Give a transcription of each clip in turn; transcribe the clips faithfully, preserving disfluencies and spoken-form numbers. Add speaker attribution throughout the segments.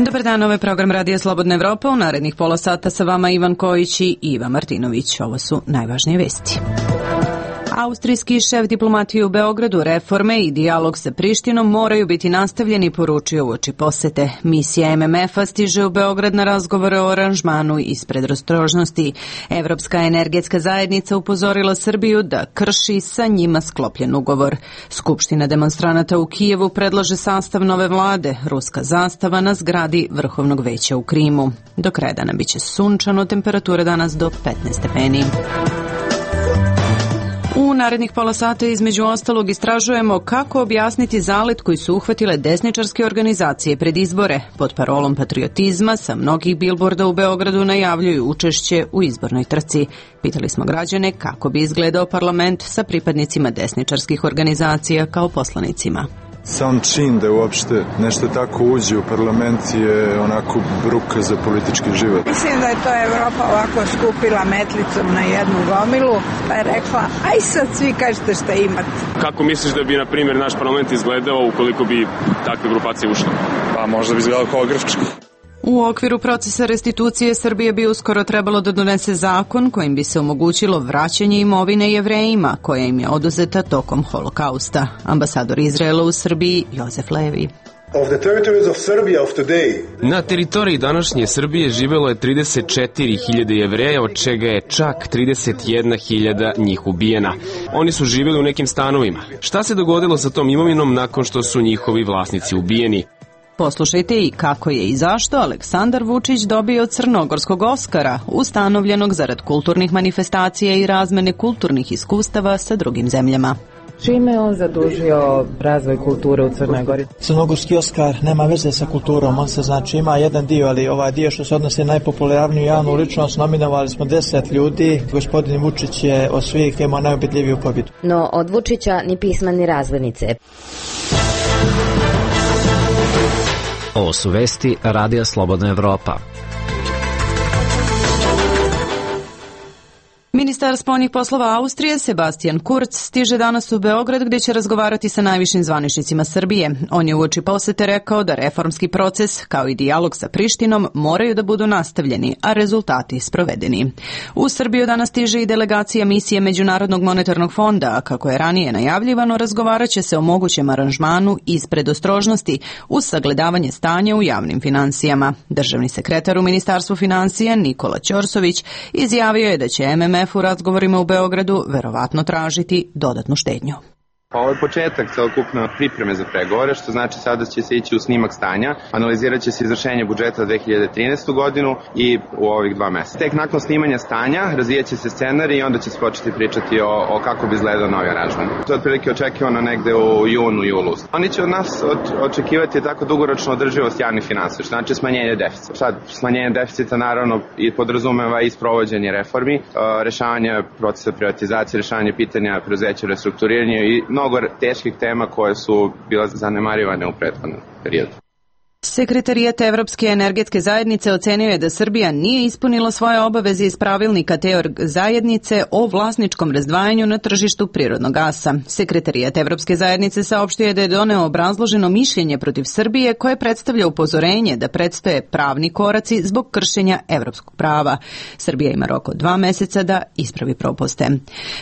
Speaker 1: Dobar dan, ovo je program Radija Slobodna Evropa. U narednih pola sata sa vama Ivan Kojić i Iva Martinović. Ovo su najvažnije vesti. Austrijski šef diplomatije u Beogradu, reforme i dijalog sa Prištinom moraju biti nastavljeni, poručio uoči posete. Misija M M F-a stiže u Beograd na razgovore o aranžmanu iz predostrožnosti. Evropska energetska zajednica upozorila Srbiju da krši sa njima sklopljen ugovor. Skupština demonstranata u Kijevu predlaže sastav nove vlade, ruska zastava na zgradi Vrhovnog veća u Krimu. Do kraja dana biće sunčano, temperatura danas do petnaest stepeni. U narednih pola sata između ostalog istražujemo kako objasniti zalet koji su uhvatile desničarske organizacije pred izbore. Pod parolom patriotizma sa mnogih bilborda u Beogradu najavljuju učešće u izbornoj trci. Pitali smo građane kako bi izgledao parlament sa pripadnicima desničarskih organizacija kao poslanicima.
Speaker 2: Sam čin da uopšte nešto tako uđe u parlament je onako bruka za politički život.
Speaker 3: Mislim da je to Evropa ovako skupila metlicom na jednu gomilu, pa je rekla, aj sad svi kažete šta imate.
Speaker 4: Kako misliš da bi, na primjer, naš parlament izgledao ukoliko bi takve grupacije ušle?
Speaker 5: Pa možda bi izgledao kao Grčka.
Speaker 1: U okviru procesa restitucije Srbije bi uskoro trebalo da donese zakon kojim bi se omogućilo vraćanje imovine Jevrejima koja im je oduzeta tokom holokausta. Ambasador Izraela u Srbiji Jozef Levi.
Speaker 6: Na teritoriji današnje Srbije živelo je trideset četiri hiljade Jevreja, od čega je čak trideset jedna hiljada njih ubijena. Oni su živjeli u nekim stanovima. Šta se dogodilo sa tom imovinom nakon što su njihovi vlasnici ubijeni?
Speaker 1: Poslušajte i kako je i zašto Aleksandar Vučić dobio Crnogorskog Oskara, ustanovljenog zarad kulturnih manifestacija i razmene kulturnih iskustava sa drugim zemljama.
Speaker 7: Čime je on zadužio razvoj kulture u Crnoj Gori?
Speaker 8: Crnogorski Oskar nema veze sa kulturom, on se znači ima jedan dio, ali ovaj dio što se odnosi na najpopularniju javnu ličnost, nominovali smo deset ljudi, gospodin Vučić je od svih imao najubedljiviju pobjedu.
Speaker 9: No od Vučića ni pisma ni razglednice.
Speaker 10: Ovo su vesti Radija Slobodna Evropa.
Speaker 1: Ministar spoljnih poslova Austrije Sebastian Kurz stiže danas u Beograd gdje će razgovarati sa najvišim zvaničnicima Srbije. On je uoči posete rekao da reformski proces kao i dijalog sa Prištinom moraju da budu nastavljeni, a rezultati sprovedeni. U Srbiju danas stiže i delegacija misije Međunarodnog monetarnog fonda, a kako je ranije najavljivano, razgovarat će se o mogućem aranžmanu iz predostrožnosti uz sagledavanje stanja u javnim finansijama. Državni sekretar u Ministarstvu financija Nikola Ćorsović izjavio je da će M M F u razgovorima u Beogradu verovatno tražiti dodatnu štednju.
Speaker 11: Ovo je početak celokupne pripreme za pregovore, što znači sada će se ići u snimak stanja, analizirat će se izvršenje budžeta za dve hiljade trinaestu godinu i u ovih dva meseca. Tek nakon snimanja stanja razvijat će se scenarij i onda će se početi pričati o, o kako bi izgledao novi aranžman. To je otprilike očekivano negde u junu, julu. Oni će od nas od, očekivati tako dugoročno održivost javnih finansija, što znači smanjenje deficita. Sad, smanjenje deficita naravno i podrazumeva i sprovođenje reformi, rešavanje procesa privatizacije, rešavanje pitanja preduzeća, restrukturiranja i mnogo teških tema koje su bile zanemarivane u prethodnom periodu.
Speaker 1: Sekretarijat Evropske energetske zajednice ocenio je da Srbija nije ispunila svoje obaveze iz pravilnika te zajednice o vlasničkom razdvajanju na tržištu prirodnog gasa. Sekretarijat Evropske zajednice saopštio je da je doneo obrazloženo mišljenje protiv Srbije koje predstavlja upozorenje da predstoje pravni koraci zbog kršenja evropskog prava. Srbija ima rok od dva meseca da ispravi propuste.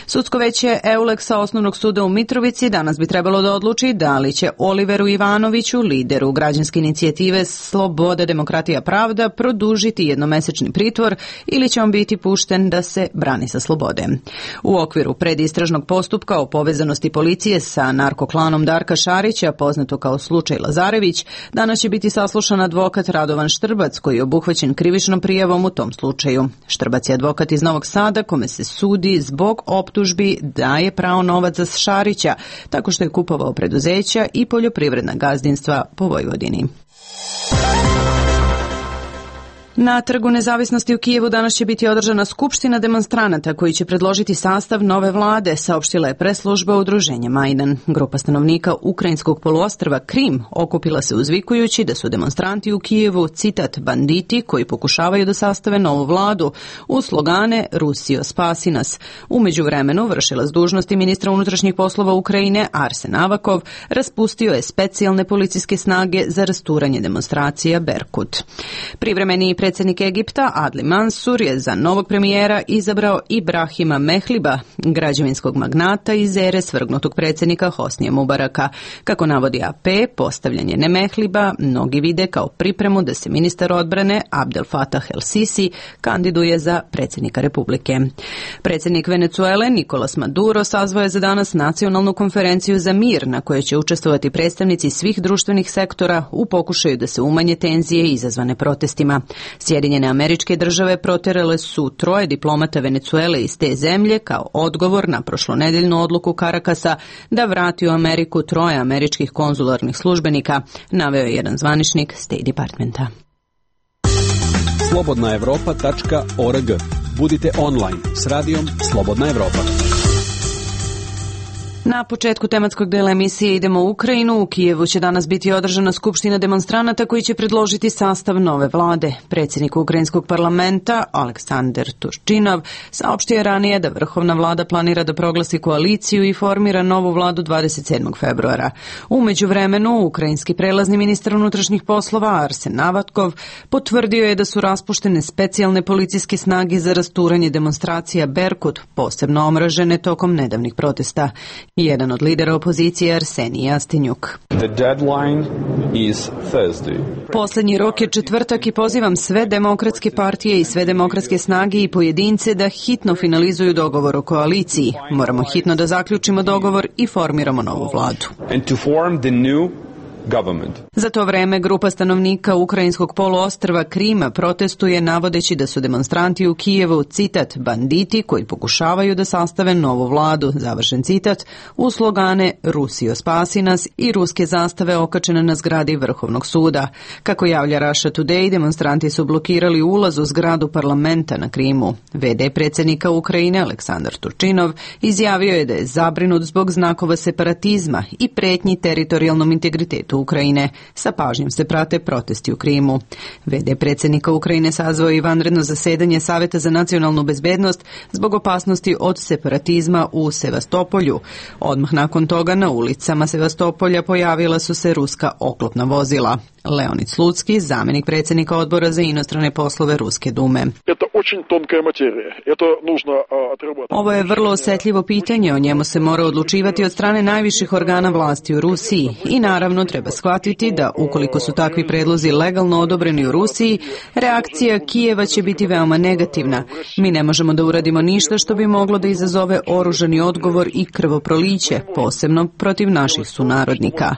Speaker 1: Sudsko veće Euleksa Osnovnog suda u Mitrovici danas bi trebalo da odluči da li će Oliveru Ivanoviću, lideru građanske inicijative Sloboda, demokratija, pravda, produžiti jednomesečni pritvor ili će on biti pušten da se brani sa slobode. U okviru predistražnog postupka o povezanosti policije sa narkoklanom Darka Šarića, poznato kao slučaj Lazarević, danas će biti saslušan advokat Radovan Štrbac, koji je obuhvaćen krivičnom prijavom u tom slučaju. Štrbac je advokat iz Novog Sada, kome se sudi zbog optužbi da je prao novac za Šarića, tako što je kupovao preduzeća i poljoprivredna gazdinstva po Vojvodini. Na Trgu nezavisnosti u Kijevu danas će biti održana skupština demonstranata koji će predložiti sastav nove vlade, saopštila je preslužba udruženja Majdan. Grupa stanovnika ukrajinskog poluostrva Krim okupila se uzvikujući da su demonstranti u Kijevu, citat, banditi koji pokušavaju da sastave novu vladu u slogane Rusijo spasi nas. U međuvremenu vršilac dužnosti ministra unutrašnjih poslova Ukrajine Arsen Avakov raspustio je specijalne policijske snage za rasturanje demonstracija Berkut. Privremeni predsjednik Egipta Adli Mansur je za novog premijera izabrao Ibrahima Mehliba, građevinskog magnata iz ere svrgnutog predsjednika Hosnija Mubaraka. Kako navodi A P, postavljanje ne Mehliba mnogi vide kao pripremu da se ministar odbrane Abdel Fattah el-Sisi kandiduje za predsjednika Republike. Predsjednik Venezuele Nicolas Maduro sazvao je za danas nacionalnu konferenciju za mir na kojoj će učestvovati predstavnici svih društvenih sektora u pokušaju da se umanje tenzije izazvane protestima. Sjedinjene Američke Države proterale su troje diplomata Venezuele iz te zemlje kao odgovor na prošlonedeljnu odluku Karakasa da vrati u Ameriku troje američkih konzularnih službenika, naveo je jedan zvaničnik State Departmenta.
Speaker 12: slobodna evropa tačka org. Budite online s radijom Slobodna Evropa.
Speaker 1: Na početku tematskog dela emisije idemo u Ukrajinu. U Kijevu će danas biti održana skupština demonstranata koji će predložiti sastav nove vlade. Predsjednik ukrajinskog parlamenta Aleksandar Turčinov saopštio je ranije da vrhovna vlada planira da proglasi koaliciju i formira novu vladu dvadeset sedmog februara. U međuvremenu, ukrajinski prelazni ministar unutrašnjih poslova Arsen Avatkov potvrdio je da su raspuštene specijalne policijske snage za rasturanje demonstracija Berkut, posebno omražene tokom nedavnih protesta. Jedan od lidera opozicije Arsenij Jastinjuk.
Speaker 5: The deadline is Thursday.
Speaker 1: Posljednji rok je četvrtak i pozivam sve demokratske partije i sve demokratske snage i pojedince da hitno finalizuju dogovor o koaliciji. Moramo hitno da zaključimo dogovor i formiramo novu vladu.
Speaker 5: And to form the new government.
Speaker 1: Za to vreme grupa stanovnika ukrajinskog poluostrva Krima protestuje navodeći da su demonstranti u Kijevu, citat, banditi koji pokušavaju da sastave novu vladu, završen citat, u slogane Rusijo spasi nas i ruske zastave okačene na zgradi Vrhovnog suda. Kako javlja Russia Today, demonstranti su blokirali ulaz u zgradu parlamenta na Krimu. V D predsjednika Ukrajine Aleksandar Turčinov izjavio je da je zabrinut zbog znakova separatizma i pretnji teritorijalnom integritetu Ukrajine. Sa pažnjom se prate protesti u Krimu. V D predsjednika Ukrajine sazvao i vanredno zasedanje Saveta za nacionalnu bezbednost zbog opasnosti od separatizma u Sevastopolju. Odmah nakon toga na ulicama Sevastopolja pojavila su se ruska oklopna vozila. Leonid Slucki, zamjenik predsjednika odbora za inostrane poslove Ruske dume. Ovo je vrlo osjetljivo pitanje, o njemu se mora odlučivati od strane najviših organa vlasti u Rusiji i naravno treba shvatiti da ukoliko su takvi predlozi legalno odobreni u Rusiji, reakcija Kijeva će biti veoma negativna. Mi ne možemo da uradimo ništa što bi moglo da izazove oružani odgovor i krvoproliće, posebno protiv naših sunarodnika.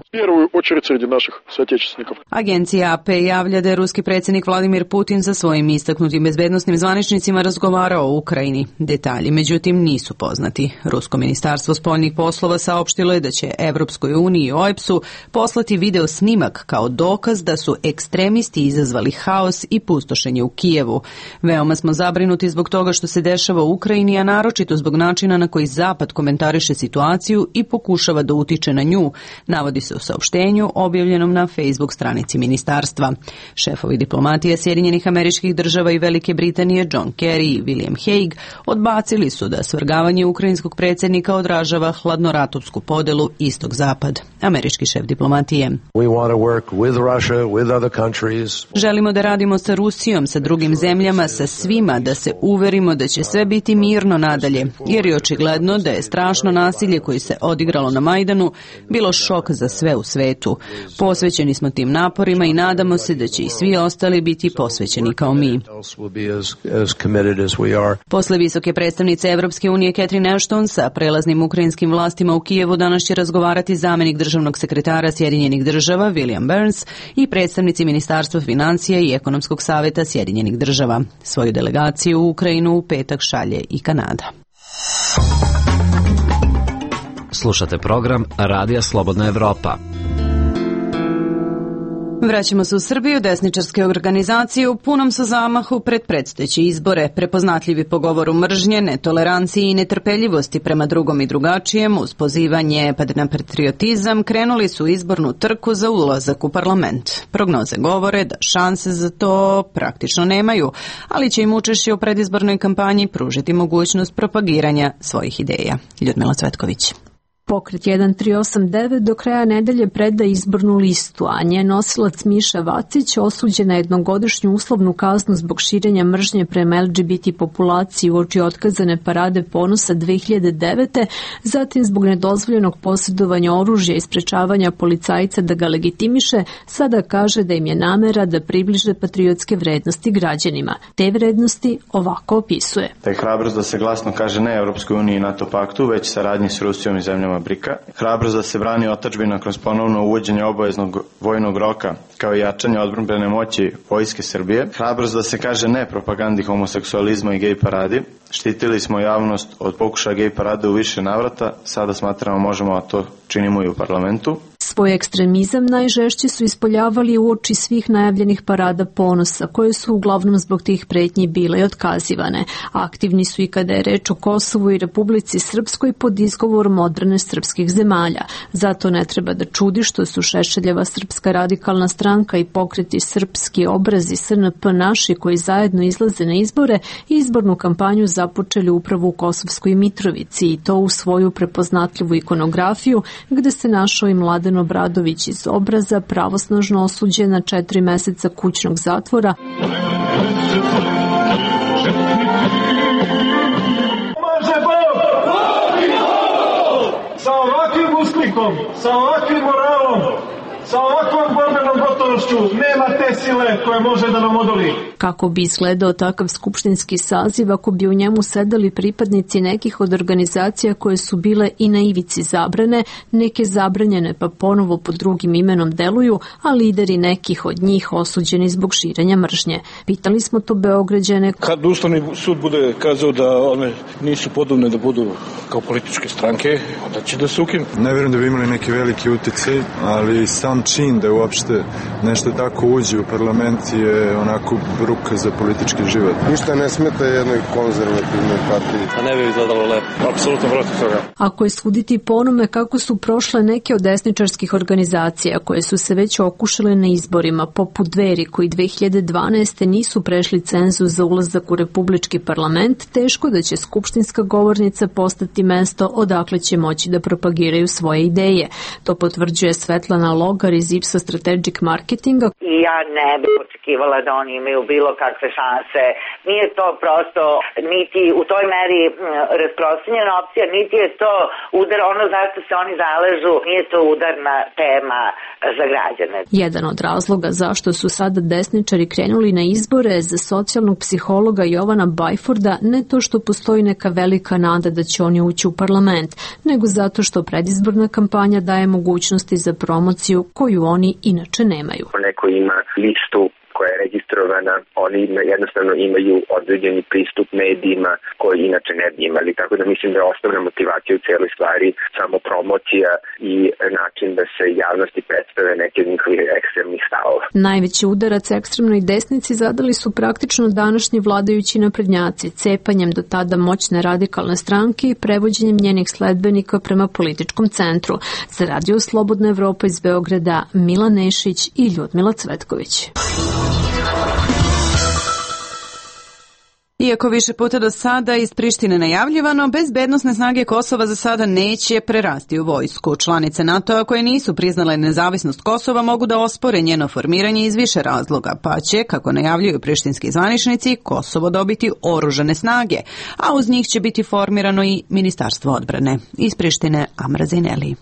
Speaker 1: Agencija A P javlja da je ruski predsjednik Vladimir Putin sa svojim istaknutim bezbednosnim zvaničnicima razgovarao o Ukrajini. Detalji, međutim, nisu poznati. Rusko ministarstvo spoljnih poslova saopštilo je da će Evropskoj uniji i O E P S-u poslati video snimak kao dokaz da su ekstremisti izazvali haos i pustošenje u Kijevu. Veoma smo zabrinuti zbog toga što se dešava u Ukrajini, a naročito zbog načina na koji Zapad komentariše situaciju i pokušava da utiče na nju, navodi se u saopštenju objavljenom na Facebook stranici ministarstva. Šefovi diplomatije Sjedinjenih Američkih Država i Velike Britanije John Kerry i William Hague odbacili su da svrgavanje ukrajinskog predsjednika odražava hladnoratovsku podelu istok-zapad. Američki šef diplomatije. Želimo da radimo sa Rusijom, sa drugim zemljama, sa svima, da se uverimo da će sve biti mirno nadalje, jer je očigledno da je strašno nasilje koje se odigralo na Majdanu bilo šok za sve u svetu. Posvećeni smo tim naporima i nadamo se da će i svi ostali biti posvećeni kao mi. Posle visoke predstavnice Evropske unije Catherine Ashton sa prelaznim ukrajinskim vlastima u Kijevu danas će razgovarati zamjenik državnog sekretara Sjedinjenih Država William Burns i predstavnici Ministarstva financija i Ekonomskog savjeta Sjedinjenih Država. Svoju delegaciju u Ukrajinu u petak šalje i Kanada.
Speaker 10: Slušate program Radija Slobodna Evropa.
Speaker 1: Vraćamo se u Srbiju. Desničarske organizacije u punom su zamahu pred predstojeće izbore. Prepoznatljivi po govoru mržnje, netoleranciji i netrpeljivosti prema drugom i drugačijem, uz pozivanje na patriotizam, krenuli su izbornu trku za ulazak u parlament. Prognoze govore da šanse za to praktično nemaju, ali će im učešće u predizbornoj kampanji pružiti mogućnost propagiranja svojih ideja. Ljudmila Cvetković.
Speaker 13: Pokret jedan tri osam devet do kraja nedelje preda izbornu listu, a njen nosilac Miša Vacić osuđen na jednogodišnju uslovnu kaznu zbog širenja mržnje prema el dže be te populaciji uoči otkazane parade ponosa dve hiljade devete, zatim zbog nedozvoljenog posjedovanja oružja i sprečavanja policajca da ga legitimiše, sada kaže da im je namera da približe patriotske vrednosti građanima. Te vrednosti ovako opisuje.
Speaker 14: Da je hrabrost da se glasno kaže ne Evropskoj uniji i NATO paktu, već saradnji s Rusijom i zemljama Brika. Hrabrost da se brani otadžbina kroz ponovno uvođenje obaveznog vojnog roka kao i jačanje odbrambene moći Vojske Srbije. Hrabrost da se kaže ne propagandi homoseksualizma i gej paradi. Štitili smo javnost od pokušaja gej parade u više navrata, sada smatramo možemo, a to činimo i u parlamentu.
Speaker 13: Svoj ekstremizam najžešće su ispoljavali uoči svih najavljenih parada ponosa, koje su uglavnom zbog tih pretnji bile i otkazivane. Aktivni su i kada je reč o Kosovu i Republici Srpskoj pod izgovorom odbrane srpskih zemalja. Zato ne treba da čudi što su Šešeljeva Srpska radikalna stranka i pokreti Srpski obrazi S N P naši koji zajedno izlaze na izbore i izbornu kampanju započeli upravo u Kosovskoj Mitrovici i to u svoju prepoznatljivu ikonografiju gde se našao i Mladen Obradović iz Obraza, pravosnažno osuđen na četiri meseca kućnog zatvora.
Speaker 15: Može Bog! Sa ovakvim usklikom, sa ovakvim moralom, sa ovakvom borbenom gotovošću nema te sile koja može da nam odoli.
Speaker 13: Kako bi izgledao takav skupštinski saziv ako bi u njemu sedali pripadnici nekih od organizacija koje su bile i na ivici zabrane, neke zabranjene pa ponovo pod drugim imenom deluju, a lideri nekih od njih osuđeni zbog širenja mržnje. Pitali smo to Beograđane.
Speaker 15: Kad Ustavni sud bude kazao da one nisu podobne da budu kao političke stranke, onda će da se ukinu.
Speaker 2: Ne vjerujem da bi imali neki veliki uticaj, ali sam čin da uopšte nešto tako uđe u parlament je onako bruka za politički život.
Speaker 16: Ništa ne smeta jednoj konzervativnoj partiji.
Speaker 15: A ne bi izgledalo lepo. Apsolutno protiv toga.
Speaker 13: Ako je suditi po onome kako su prošle neke od desničarskih organizacija koje su se već okušale na izborima, poput Dveri koji dve hiljade dvanaeste nisu prešli cenzus za ulazak u republički parlament, teško da će skupštinska govornica postati mesto odakle će moći da propagiraju svoje ideje. To potvrđuje Svetlana Logar iz Ipsos Strategic Marketinga.
Speaker 17: I ja ne bih očekivala da oni imaju bilo kakve šanse. Nije to prosto niti u toj meri rasprostranjena opcija, niti je to udar, ono zašto se oni zaležu, nije to udarna tema za građane.
Speaker 13: Jedan od razloga zašto su sada desničari krenuli na izbore za socijalnog psihologa Jovana Bajforda ne to što postoji neka velika nada da će oni ući u parlament, nego zato što predizborna kampanja daje mogućnosti za promociju koju oni inače nemaju.
Speaker 18: Neko ima listu koja je registrovana, oni jednostavno imaju određeni pristup medijima koji inače ne bi imali. Tako da mislim da je osnovna motivacija u cijeloj stvari samo promocija i način da se javnosti predstave neke od njihovih ekstremnih stavova.
Speaker 13: Najveći udarac ekstremnoj desnici zadali su praktično današnji vladajući naprednjaci, cepanjem do tada moćne radikalne stranke i prevođenjem njenih sledbenika prema političkom centru. Za Radio Slobodna Evropa iz Beograda, Milan Nešić i Ljudmila Cvetković.
Speaker 1: Iako više puta do sada iz Prištine najavljivano, bezbednosne snage Kosova za sada neće prerasti u vojsku. Članice NATO-a koje nisu priznale nezavisnost Kosova mogu da ospore njeno formiranje iz više razloga, pa će, kako najavljuju prištinski zvaničnici, Kosovo dobiti oružane snage, a uz njih će biti formirano i Ministarstvo odbrane. Iz Prištine, Amra Zineli.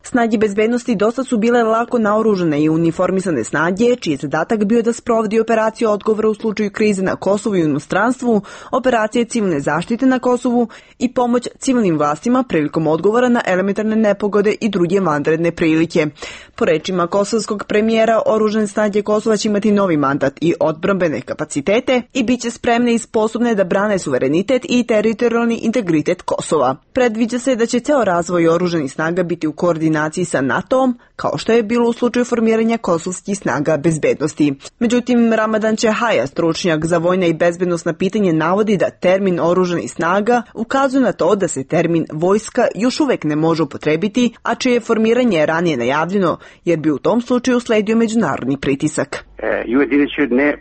Speaker 19: Snage bezbednosti dosta su bile lako naoružane i uniformisane snage, čiji je zadatak bio da sprovodi operaciju odgovora u slučaju krize na Kosovu i inostranstvu, operacije civilne zaštite na Kosovu i pomoć civilnim vlastima prilikom odgovora na elementarne nepogode i druge vanredne prilike. Po rečima kosovskog premijera, oružane snage Kosova će imati novi mandat i odbrambene kapacitete i bit će spremne i sposobne da brane suverenitet i teritorijalni integritet Kosova. Predviđa se da će ceo razvoj oružanih snaga biti u koordinaciji koordinaciji sa NATO-om, kao što je bilo u slučaju formiranja kosovskih snaga bezbednosti. Međutim, Ramadan Čehaja, stručnjak za vojna i bezbednosna pitanje, navodi da termin oružanih snaga ukazuje na to da se termin vojska još uvek ne može upotrebiti, a čije formiranje je ranije najavljeno, jer bi u tom slučaju sledio međunarodni pritisak.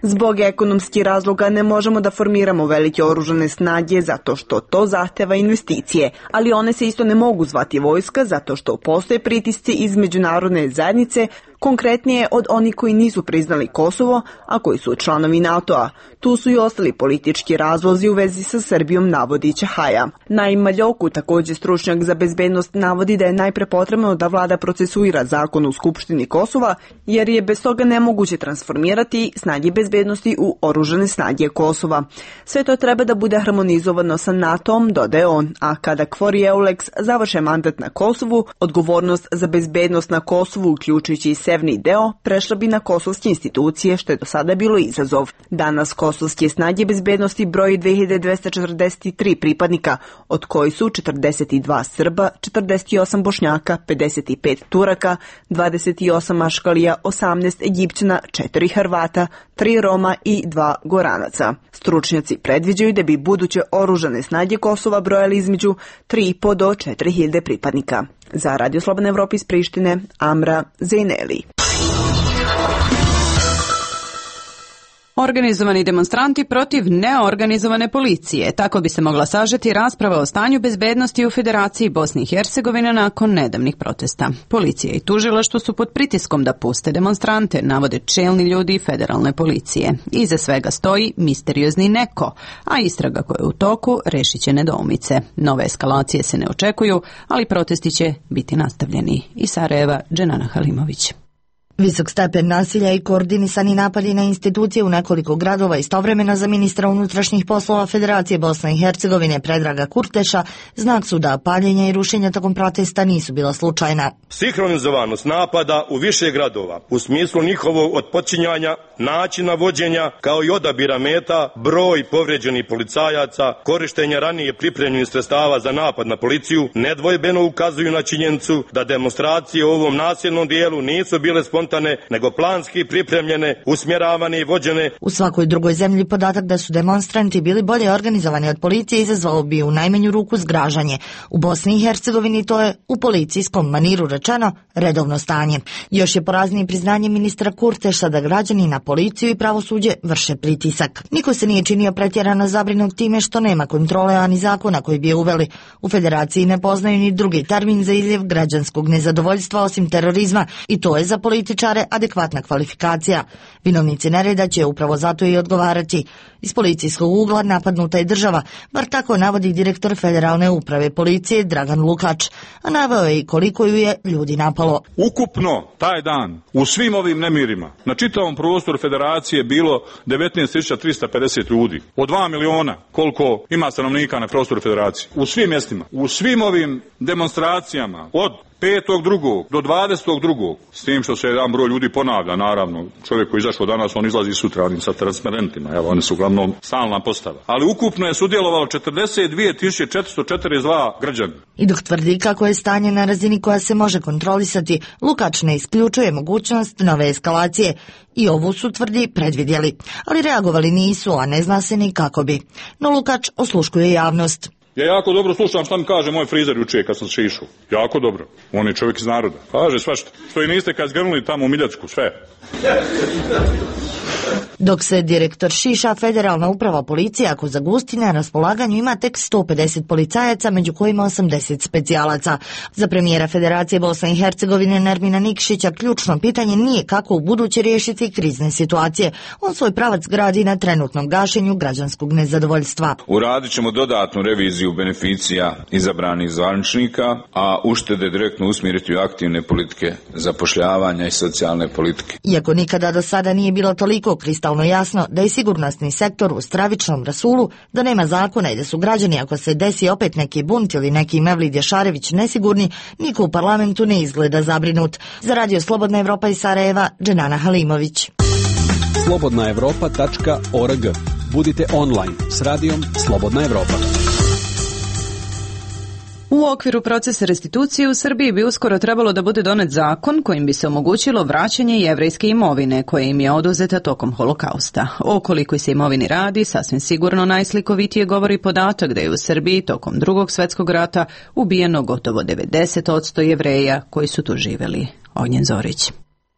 Speaker 19: Zbog ekonomskih razloga ne možemo da formiramo velike oružane snage zato što to zahteva investicije, ali one se isto ne mogu zvati vojska zato što postoje pritisci iz međunarodne zajednice, konkretnije od onih koji nisu priznali Kosovo, a koji su članovi NATO-a. Tu su i ostali politički razlozi u vezi sa Srbijom, navodi Čehaja. Naim Maljoku, također stručnjak za bezbednost, navodi da je najpre potrebno da vlada procesuira zakon u Skupštini Kosova, jer je bez toga nemoguće transformirati snage bezbednosti u oružane snage Kosova. Sve to treba da bude harmonizovano sa NATO-om, dodaje on, a kada Kvori Eulex završe mandat na Kosovu, odgovornost za bezbednost na Kosovu, uključujući i severni deo, prešla bi na kosovske institucije, što je do sada bilo izazov. Danas kosovske snage bezbednosti broji dve hiljade dvesta četrdeset tri pripadnika, od koji su četrdeset dva Srba, četrdeset osam Bošnjaka, pedeset pet Turaka, dvadeset osam Maškalija, osamnaest Egipćana, četiri Hrvata, tri Roma i dva Goranaca. Stručnjaci predviđaju da bi buduće oružane snage Kosova brojali između tri i po do četiri hiljade pripadnika. Za Radio Slobodna Evropa iz Prištine, Amra Zejneli.
Speaker 1: Organizovani demonstranti protiv neorganizovane policije. Tako bi se mogla sažeti rasprava o stanju bezbednosti u Federaciji Bosne i Hercegovine nakon nedavnih protesta. Policija i tužilaštvo su pod pritiskom da puste demonstrante, navode čelni ljudi federalne policije. Iza svega stoji misteriozni neko, a istraga koja je u toku rešit će nedoumice. Nove eskalacije se ne očekuju, ali protesti će biti nastavljeni. Iz Sarajeva, Dženana Halimović.
Speaker 20: Visok stepen nasilja i koordinisani napadi na institucije u nekoliko gradova istovremeno za ministra unutrašnjih poslova Federacije Bosne i Hercegovine Predraga Kurteša znak su da paljenja i rušenja tokom protesta nisu bila slučajna.
Speaker 21: Sinhronizovanost napada u više gradova u smislu njihovog otpočinjanja, načina vođenja kao i odabira meta, broj povređenih policajaca, korištenja ranije pripremljenih sredstava za napad na policiju nedvojbeno ukazuju na činjenicu da demonstracije u ovom nasilnom dijelu nisu bile spontane nego planski pripremljene, usmjeravane i vođene.
Speaker 20: U svakoj drugoj zemlji podatak da su demonstranti bili bolje organizovani od policije izazvao bi u najmanju ruku zgražanje. U Bosni i Hercegovini to je u policijskom maniru rečeno redovno stanje. Još je poraznije priznanje ministra Kurteša da građani na policiju i pravosuđe vrše pritisak. Niko se nije činio pretjerano zabrinut time što nema kontrole ani zakona koji bi je uveli. U Federaciji ne poznaju ni drugi termin za izljev građanskog nezadovoljstva osim terorizma i to je za političare adekvatna kvalifikacija. Vinovnici nereda će upravo zato i odgovarati. Iz policijskog ugla napadnuta je država, bar tako navodi direktor Federalne uprave policije Dragan Lukač, a naveo je i koliko ju je ljudi napalo.
Speaker 22: Ukupno taj dan u svim ovim nemirima na čitavom prostoru Federacije bilo devetnaest tisuća trista pedeset ljudi. Od dva miliona koliko ima stanovnika na prostoru Federacije. U svim mjestima, u svim ovim demonstracijama od petog drugog do dvadesetog drugog s tim što se jedan broj ljudi ponavlja, naravno. Čovjek koji je izašao danas, on izlazi sutra sa transparentima, evo, oni su uglavnom stalna postava. Ali ukupno je sudjelovalo četrdeset dvije tisuće četiristo četrdeset dva građana.
Speaker 20: I dok tvrdi kako je stanje na razini koja se može kontrolisati, Lukač ne isključuje mogućnost nove eskalacije. I ovu su, tvrdi, predvidjeli. Ali reagovali nisu, a ne zna se ni kako bi. No Lukač osluškuje javnost.
Speaker 22: Ja jako dobro slušam šta mi kaže moj frizer juče kad sam se išao. Jako dobro. On je čovjek iz naroda. Kaže svašta. Što i niste kad zgrnuli tamo u Miljacku, sve.
Speaker 20: Dok se direktor Šiša, Federalna uprava policije, ako za Gustine na raspolaganju ima tek sto pedeset policajaca, među kojima osamdeset specijalaca. Za premijera Federacije Bosne i Hercegovine Nermina Nikšića ključno pitanje nije kako u buduće riješiti krizne situacije. On svoj pravac gradi na trenutnom gašenju građanskog nezadovoljstva.
Speaker 23: Uradit ćemo dodatnu reviziju beneficija izabranih zvaničnika, a uštede direktno usmjeriti u aktivne politike zapošljavanja i socijalne politike.
Speaker 20: Iako nikada do sada nije bilo toliko kristalno jasno da je sigurnosni sektor u stravičnom rasulu, da nema zakona i da su građani, ako se desi opet neki bunt ili neki Mevlid Jašarević nesigurni, niko u parlamentu ne izgleda zabrinut. Za Radio Slobodna Evropa iz Sarajeva, Dženana Halimović.
Speaker 12: slobodna evropa tačka org. Budite online s radijom Slobodna Evropa.
Speaker 1: U okviru procesa restitucije u Srbiji bi uskoro trebalo da bude donet zakon kojim bi se omogućilo vraćanje jevrejske imovine koja im je oduzeta tokom holokausta. O kolikoj se imovini radi, sasvim sigurno najslikovitije govori podatak da je u Srbiji tokom Drugog svjetskog rata ubijeno gotovo devedeset posto Jevreja koji su tu živjeli. Ognjen Zorić.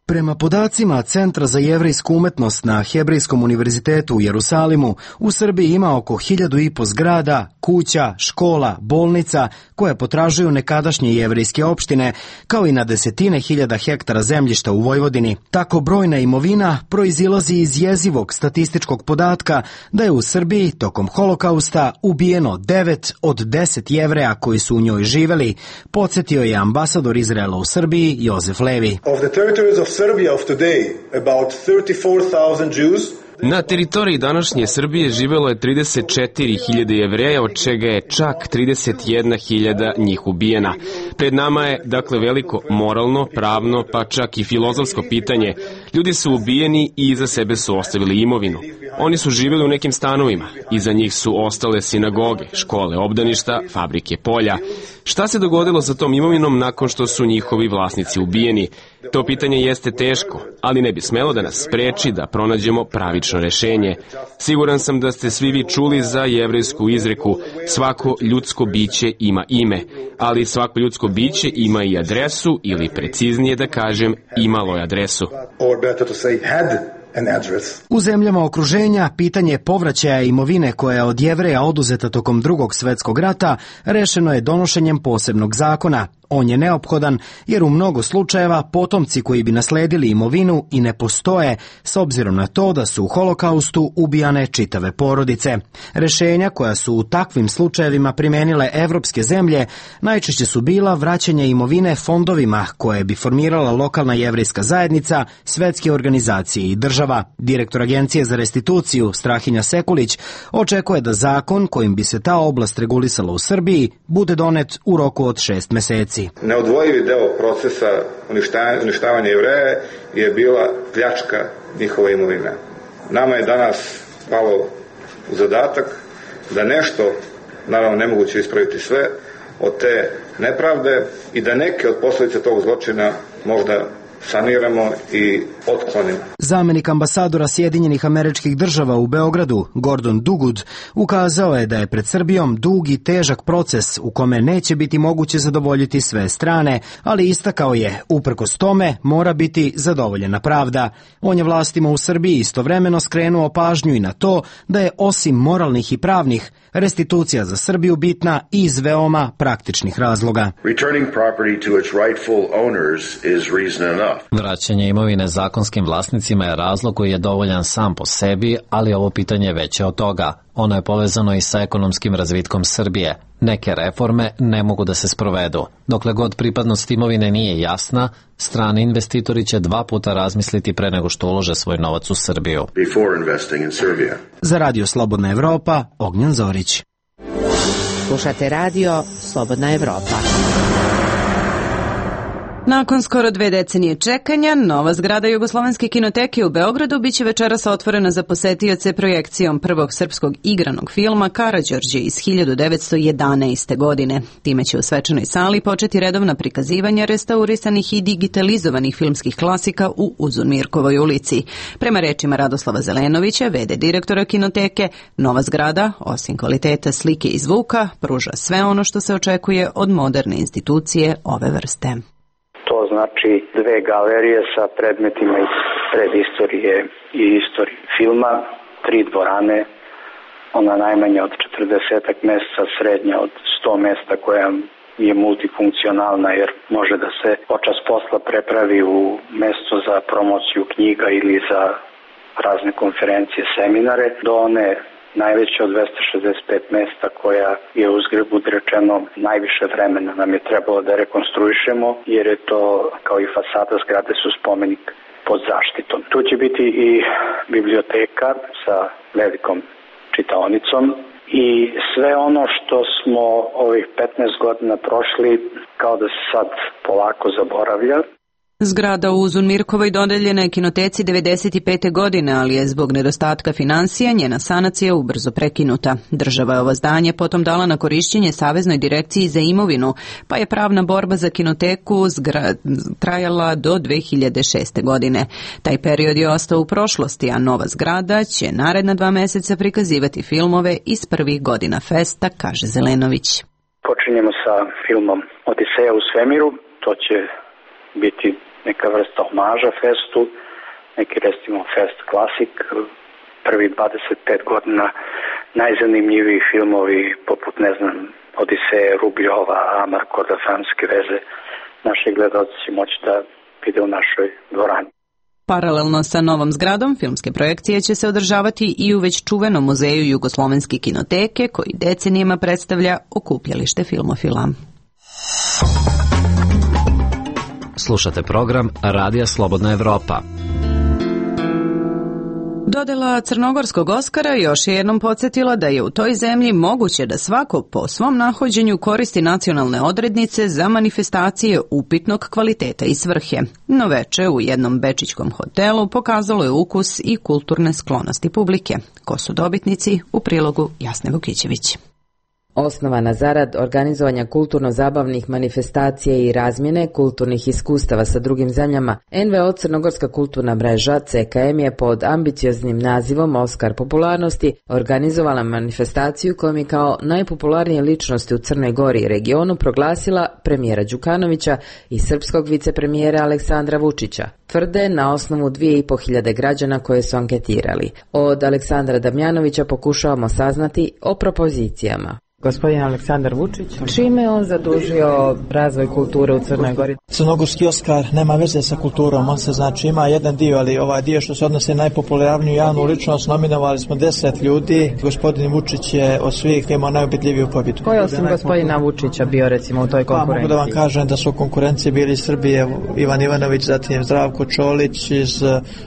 Speaker 3: Prema podacima Centra za jevrejsku umetnost na Hebrejskom univerzitetu u Jerusalimu, u Srbiji ima oko hiljadu i po zgrada, kuća, škola, bolnica koje potražuju nekadašnje jevrejske opštine, kao i na desetine hiljada hektara zemljišta u Vojvodini. Tako brojna imovina proizilazi iz jezivog statističkog podatka da je u Srbiji tokom holokausta ubijeno devet od deset Jevreja koji su u njoj živeli, podsjetio je ambasador Izraela u Srbiji Jozef Levi.
Speaker 4: Of the territories of Serbia of today, about thirty-four thousand Jews.
Speaker 6: Na teritoriji današnje Srbije živelo je trideset četiri hiljade Jevreja, od čega je čak trideset jedna hiljada njih ubijena. Pred nama je, dakle, veliko moralno, pravno, pa čak i filozofsko pitanje. Ljudi su ubijeni i iza sebe su ostavili imovinu. Oni su živjeli u nekim stanovima. Iza njih su ostale sinagoge, škole, obdaništa, fabrike, polja. Šta se dogodilo sa tom imovinom nakon što su njihovi vlasnici ubijeni? To pitanje jeste teško, ali ne bi smelo da nas spreči da pronađemo pravično rešenje. Siguran sam da ste svi vi čuli za jevrejsku izreku: svako ljudsko biće ima ime, ali svako ljudsko biće ima i adresu, ili preciznije da kažem, imalo je adresu.
Speaker 3: U zemljama okruženja pitanje povraćaja imovine koja je od Jevreja oduzeta tokom Drugog svjetskog rata rešeno je donošenjem posebnog zakona. On je neophodan jer u mnogo slučajeva potomci koji bi nasledili imovinu i ne postoje, s obzirom na to da su u holokaustu ubijane čitave porodice. Rešenja koja su u takvim slučajevima primenile evropske zemlje najčešće su bila vraćanje imovine fondovima koje bi formirala lokalna jevrejska zajednica, svetske organizacije i država. Direktor Agencije za restituciju Strahinja Sekulić očekuje da zakon kojim bi se ta oblast regulisala u Srbiji bude donet u roku od šest meseci.
Speaker 4: Neodvojivi deo procesa uništavanja Jevreja je bila pljačka njihova imovina. Nama je danas palo u zadatak da nešto, naravno nemoguće ispraviti sve, od te nepravde i da neke od posljedica tog zločina možda saniramo i otklonimo.
Speaker 3: Zamenik ambasadora Sjedinjenih Američkih Država u Beogradu, Gordon Dugud, ukazao je da je pred Srbijom dug i težak proces u kome neće biti moguće zadovoljiti sve strane, ali istakao je, uprkos tome, mora biti zadovoljena pravda. On je vlastima u Srbiji istovremeno skrenuo pažnju i na to da je osim moralnih i pravnih, restitucija za Srbiju bitna i iz veoma praktičnih razloga.
Speaker 24: Returning property to its rightful owners is reason enough.
Speaker 10: Vraćanje imovine zakonskim vlasnicima je razlog koji je dovoljan sam po sebi, ali ovo pitanje je veće od toga. Ono je povezano i sa ekonomskim razvitkom Srbije. Neke reforme ne mogu da se sprovedu. Dokle god pripadnost imovine nije jasna, strani investitori će dva puta razmisliti pre nego što ulože svoj novac u Srbiju.
Speaker 3: Za Radio Slobodna Evropa, Ognjen Zorić.
Speaker 25: Slušate radio Slobodna Evropa.
Speaker 1: Nakon skoro dve decenije čekanja, nova zgrada Jugoslovenske kinoteke u Beogradu biće večeras otvorena za posetioce projekcijom prvog srpskog igranog filma Karađorđe iz hiljadu devetsto jedanaeste. godine. Time će u svečanoj sali početi redovna prikazivanja restaurisanih i digitalizovanih filmskih klasika u Uzunmirkovoj ulici. Prema rečima Radoslava Zelenovića, v d direktora kinoteke, nova zgrada, osim kvaliteta slike i zvuka, pruža sve ono što se očekuje od moderne institucije ove vrste.
Speaker 26: To znači dve galerije sa predmetima iz predistorije i istorije filma, tri dvorane, ona najmanja od četrdesetak mesta, srednja od sto mesta koja je multifunkcionalna jer može da se počas posla prepravi u mesto za promociju knjiga ili za razne konferencije, seminare, do one najveće od dvesta šezdeset pet mesta koja je uzgred budi rečeno najviše vremena nam je trebalo da rekonstruišemo jer je to kao i fasada zgrade su spomenik pod zaštitom. Tu će biti i biblioteka sa velikom čitaonicom i sve ono što smo ovih petnaest godina prošli kao da se sad polako zaboravlja.
Speaker 1: Zgrada u Zunmirkovoj dodeljena je kinoteci devedeset pete. godine, ali je zbog nedostatka financija njena sanacija ubrzo prekinuta. Država je ovo zdanje potom dala na korišćenje Saveznoj direkciji za imovinu, pa je pravna borba za kinoteku zgra... trajala do dve hiljade šeste. godine. Taj period je ostao u prošlosti, a nova zgrada će naredna dva meseca prikazivati filmove iz prvih godina festa, kaže Zelenović.
Speaker 26: Počinjemo sa filmom Odiseja u svemiru, to će biti neka vrsta omaža festu, neki recimo fest klasik, prvi dvadeset pet godina najzanimljiviji filmovi poput, ne znam, Odiseje, Rubljova, Amar, Kordafanske veze, naši gledalci će moći da vide u našoj dvorani.
Speaker 1: Paralelno sa novom zgradom, filmske projekcije će se održavati i u već čuvenom muzeju Jugoslovenske kinoteke, koji decenijama predstavlja okupljalište filmofila.
Speaker 10: Slušate program Radija Slobodna Evropa.
Speaker 1: Dodela crnogorskog Oskara još je jednom podsjetila da je u toj zemlji moguće da svako po svom nahođenju koristi nacionalne odrednice za manifestacije upitnog kvaliteta i svrhe. No veče u jednom bečićkom hotelu pokazalo je ukus i kulturne sklonosti publike. Ko su dobitnici? U prilogu Jasne Vukićević.
Speaker 5: Osnovana zarad organizovanja kulturno-zabavnih manifestacija i razmjene kulturnih iskustava sa drugim zemljama, en ve o Crnogorska kulturna mreža ce ka em je pod ambicioznim nazivom Oskar popularnosti organizovala manifestaciju kojom je kao najpopularnije ličnosti u Crnoj Gori i regionu proglasila premijera Đukanovića i srpskog vicepremijera Aleksandra Vučića. Tvrde na osnovu dvije i po hiljade građana koje su anketirali. Od Aleksandra Damjanovića pokušavamo saznati o propozicijama.
Speaker 7: Gospodin Aleksandar Vučić, čime on zadužio razvoj kulture u Crnoj Gori?
Speaker 8: Crnogorski Oskar nema veze sa kulturom, on se znači ima jedan dio, ali ovaj dio što se odnosi na najpopularniju javnu ličnost, nominovali smo deset ljudi. Gospodin Vučić je od svih imao najubedljiviju pobjedu.
Speaker 7: Ko je osim gospodina Vučića bio recimo u toj konkurenciji?
Speaker 8: Pa mogu da vam kažem da su u konkurenciji bili iz Srbije Ivan Ivanović, zatim Zdravko Čolić, iz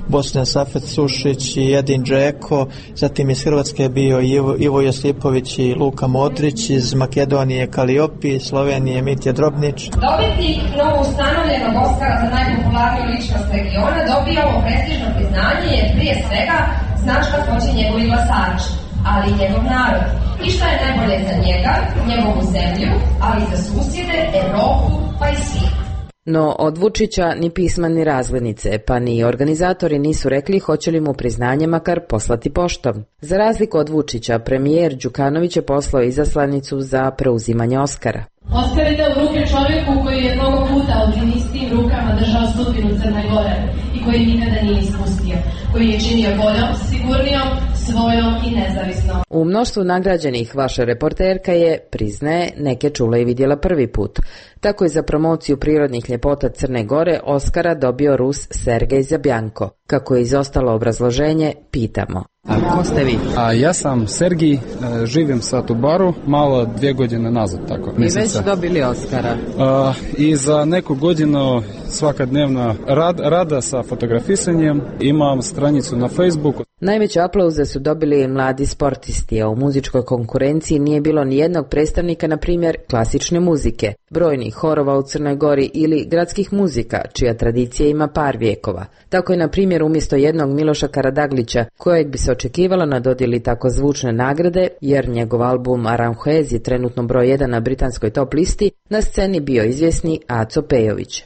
Speaker 8: Bosne Safet Sušić i Edin Džeko, zatim iz Hrvatske je bio Ivo, Ivo Josipović i Luka Modrić, iz Makedonije Kaliopi, Slovenije Mitja Drobnić.
Speaker 9: Dobitnik novo ustanovljenog Oskara za najpopularniju ličnost regiona dobijao prestižno priznanje jer prije svega znaš kako hoće njegovi glasači, ali i njegov narod. I šta je najbolje za njega, njegovu zemlju, ali i za susjede, Evropu, pa i svijet.
Speaker 5: No od Vučića ni pisma ni razglednice, pa ni organizatori nisu rekli hoće li mu priznanje makar poslati poštom. Za razliku od Vučića, premijer Đukanović je poslao izaslanicu za preuzimanje Oskara.
Speaker 9: Oskar ide u ruke čovjeku koji je mnogo puta ovim istim rukama držao sudbinu Crne Gore i koji nikada nije ispustio, koji je činio boljom, sigurnijom, svojom i nezavisnom.
Speaker 5: U mnoštvu nagrađenih vaša reporterka je, priznaje, neke čula i vidjela prvi put. Tako je za promociju prirodnih ljepota Crne Gore Oskara dobio Rus Sergej Zabjanko. Kako je izostalo obrazloženje, pitamo.
Speaker 7: A ko ste vi?
Speaker 11: A ja sam Sergij, živim sad u Baru, malo dvije godine nazad, tako.
Speaker 7: I već dobili Oskara.
Speaker 11: A, I za neku godinu svakadnevna rad, rada sa fotografisanjem, imam stranicu na Facebooku.
Speaker 5: Najveće aplauze su dobili mladi sportisti, a u muzičkoj konkurenciji nije bilo ni jednog predstavnika, na primjer, klasične muzike, brojnih horova u Crnoj Gori ili gradskih muzika, čija tradicija ima par vijekova. Tako je, na primjer, umjesto jednog Miloša Karadaglića, kojeg bi se očekivalo na dodjeli tako zvučne nagrade, jer njegov album Aranjuez je trenutno broj jedan na britanskoj top listi, na sceni bio izvjesni Aco Pejović.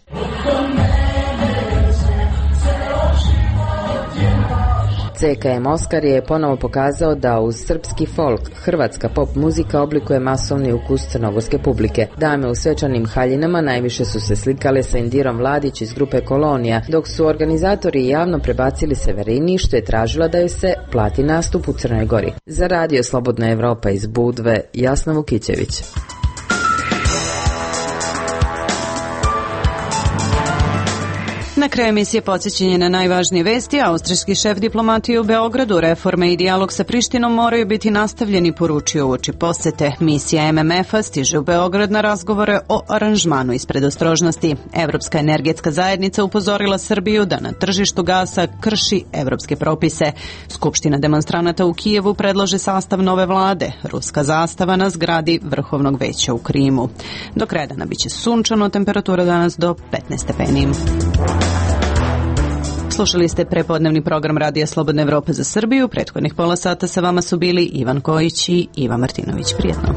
Speaker 5: ce ka em Oskar je ponovo pokazao da uz srpski folk, hrvatska pop muzika oblikuje masovni ukus crnogorske publike. Dame u svečanim haljinama najviše su se slikale sa Indirom Vladić iz grupe Kolonija, dok su organizatori javno prebacili Severini, što je tražila da joj se plati nastup u Crnoj Gori. Za Radio Slobodna Evropa iz Budve, Jasna Vukićević.
Speaker 1: Na kraju emisije podsjećanje na najvažnije vesti. Austrijski šef diplomatije u Beogradu, reforme i dijalog sa Prištinom moraju biti nastavljeni, poručio uoči posete. Misija M M F-a stiže u Beograd na razgovore o aranžmanu iz predostrožnosti. Evropska energetska zajednica upozorila Srbiju da na tržištu gasa krši evropske propise. Skupština demonstranata u Kijevu predlaže sastav nove vlade. Ruska zastava na zgradi Vrhovnog veća u Krimu. Do kraja dana biće sunčano, temperatura danas do petnaest stepeni. Slušali ste prepodnevni program Radija Slobodna Evropa za Srbiju. Prethodnih pola sata sa vama su bili Ivan Kojić i Iva Martinović. Prijetno.